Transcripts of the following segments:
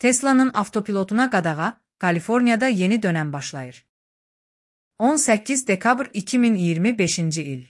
Tesla'nın avtopilotuna qadağa, Kaliforniyada yeni dönəm başlayır. 18 dekabr 2025-ci il.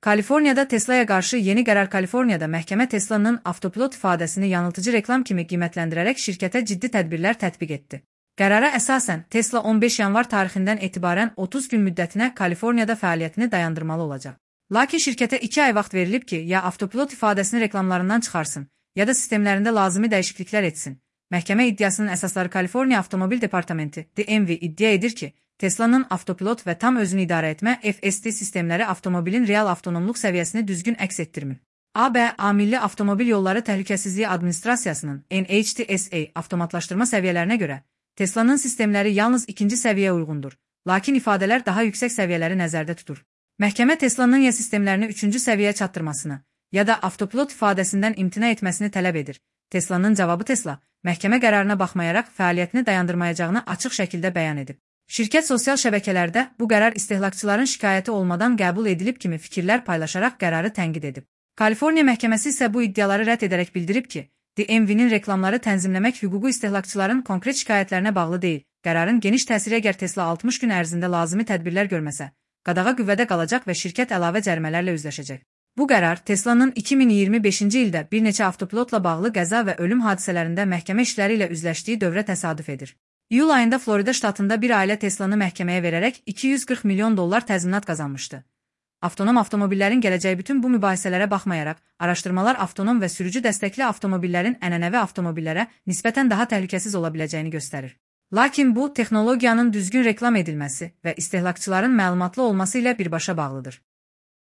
Kaliforniyada Tesla'ya qarşı yeni qərar. Kaliforniyada məhkəmə Tesla'nın avtopilot ifadəsini yanıltıcı reklam kimi qiymətləndirərək şirkətə ciddi tədbirlər tətbiq etdi. Qərara əsasən, Tesla 15 yanvar tarixindən etibarən 30 gün müddətinə Kaliforniyada fəaliyyətini dayandırmalı olacaq. Lakin şirkətə 2 ay vaxt verilib ki, ya avtopilot ifadəsini reklamlarından çıxarsın, ya da sistemlərində lazımi dəyişikliklər etsin. Məhkəmə iddiasının əsasları Kaliforniya Avtomobil Departamenti (DMV) iddia edir ki, Tesla'nın avtopilot və tam özünü idarə etmə (FSD) sistemləri avtomobilin real avtonomluq səviyyəsini düzgün əks etdirmir. ABA Milli Avtomobil Yolları Təhlükəsizliyi Administrasiyasının (NHTSA) avtomatlaşdırma səviyyələrinə görə Tesla'nın sistemləri yalnız 2-ci səviyyə uyğundur, lakin ifadələr daha yüksək səviyyələri nəzərdə tutur. Məhkəmə Tesla'nın ya sistemlərini 3-cü səviyyəyə çatdırmasını, ya da avtopilot ifadəsindən imtina etməsini tələb edir. Tesla'nın cavabı Tesla, məhkəmə qərarına baxmayaraq fəaliyyətini dayandırmayacağını açıq şəkildə bəyan edib. Şirkət sosial şəbəkələrdə bu qərar istehlakçıların şikayəti olmadan qəbul edilib kimi fikirlər paylaşaraq qərarı tənqid edib. Kaliforniya məhkəməsi isə bu iddiaları rədd edərək bildirib ki, DMV-nin reklamları tənzimləmək hüququ istehlakçıların konkret şikayətlərinə bağlı deyil. Qərarın geniş təsiri əgər Tesla 60 gün ərzində lazımi tədbirlər görməsə, qadağa qüvvədə qalacaq və şirkət əlavə cərimələrlə üzləşəcək. Bu qərar Tesla'nın 2025-ci ildə bir neçə avtopilotla bağlı qəza və ölüm hadisələrində məhkəmə işləri ilə üzləşdiyi dövrə təsadüf edir. İyul ayında Florida ştatında bir ailə Tesla'nı məhkəməyə verərək $240 milyon təzminat qazanmışdı. Avtonom avtomobillərin gələcəyi bütün bu mübahisələrə baxmayaraq, araşdırmalar avtonom və sürücü dəstəkli avtomobillərin ənənəvi avtomobillərə nisbətən daha təhlükəsiz ola biləcəyini göstərir. Lakin bu, texnologiyanın düzgün reklam edilməsi və istehlakçıların məlumatlı olması ilə birbaşa bağlıdır.